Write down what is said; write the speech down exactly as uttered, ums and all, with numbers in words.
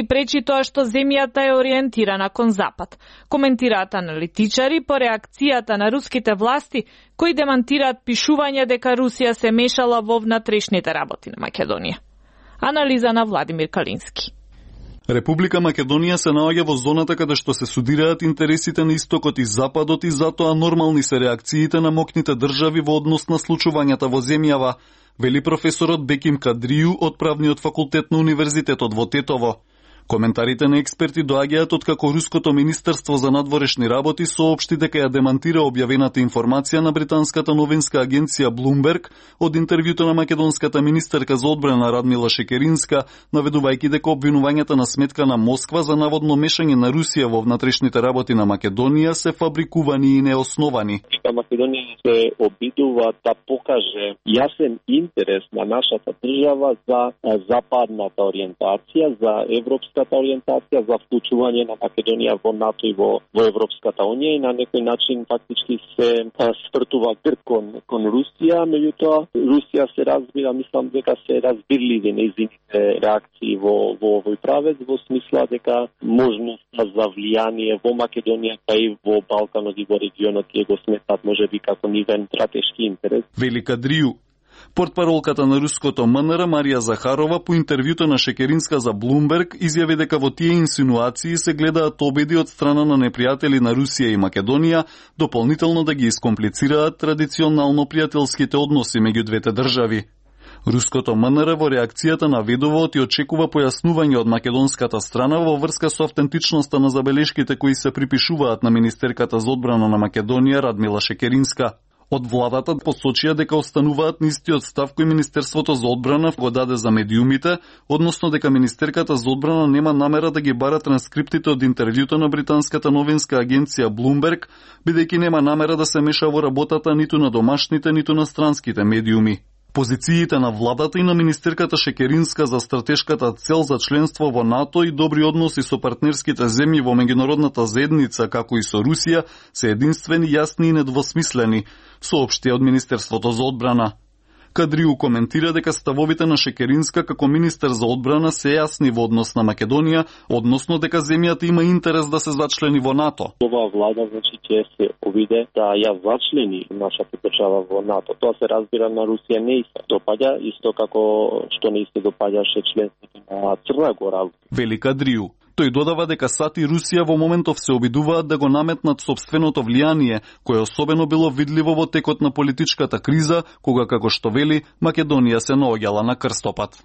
и пречи тоа што земјата е ориентирана кон запад, коментираат аналитичари по реакцијата на руските власти кои демантираат пишување дека Русија се мешала во внатрешните работи на Македонија. Анализа на Владимир Калински. Република Македонија се наоѓа во зоната каде што се судираат интересите на истокот и западот и затоа нормални се реакциите на моќните држави во однос на случувањата во земјава, вели професорот Беким Кадрију од Правниот факултет на Универзитетот во Тетово. Коментарите на експерти доаѓаат од како Руското министерство за надворешни работи соопшти дека ја демантира објавената информација на британската новинска агенција Bloomberg од интервјуто на македонската министерка за одбрана Радмила Шекеринска, наведувајќи дека обвинувањата на сметка на Москва за наводно мешање на Русија во внатрешните работи на Македонија се фабрикувани и неосновани. Македонија се обидува да покаже јасен интерес на нашата држава за западната ориентација, за европска ориентација, за вклучување на Македонија во НАТО и во, во Европската унија и на некој начин фактички се свртува грб кон, кон Русија, меѓутоа Русија се разбира, мислам дека се разбирливи нејзините реакции во, во овој правец, во смисла дека можноста за влијание во Македонија, па и во Балканот и во регионот ја го сметат можеби како нивен стратешки интерес. Вели Кадрију. Портпаролката на руското МНР Марија Захарова по интервјуто на Шекеринска за Bloomberg изјави дека во тие инсинуации се гледаат обиди од страна на непријатели на Русија и Македонија дополнително да ги искомплицираат традиционално пријателските односи меѓу двете држави. Руското МНР во реакцијата наведува и очекува појаснување од македонската страна во врска со автентичноста на забелешките кои се припишуваат на министерката за одбрана на Македонија Радмила Шекеринска. Од владата посочија дека остануваат на истиот став кој Министерството за одбрана го даде за медиумите, односно дека Министерката за одбрана нема намера да ги бара транскриптите од интервјуто на британската новинска агенција Bloomberg, бидејќи нема намера да се меша во работата ниту на домашните, ниту на странските медиуми. Позициите на владата и на министерката Шекеринска за стратешката цел за членство во НАТО и добри односи со партнерските земји во меѓународната заедница, како и со Русија, се единствени, јасни и недвосмислени, соопшти од Министерството за одбрана. Кадрију коментира дека ставовите на Шекеринска како министер за одбрана се јасни во однос на Македонија, односно дека земјата има интерес да се зачлени во НАТО. Ова влада значи ќе се обиде да ја зачлени нашата држава во НАТО. Тоа се разбира на Русија не се допаѓа, исто како што не се допаѓаше членството на Црна Гора. Вели Кадрију. Тој додава дека САД и Русија во моментов се обидуваат да го наметнат сопственото влијание, кое особено било видливо во текот на политичката криза, кога, како што вели, Македонија се наоѓала на крстопат.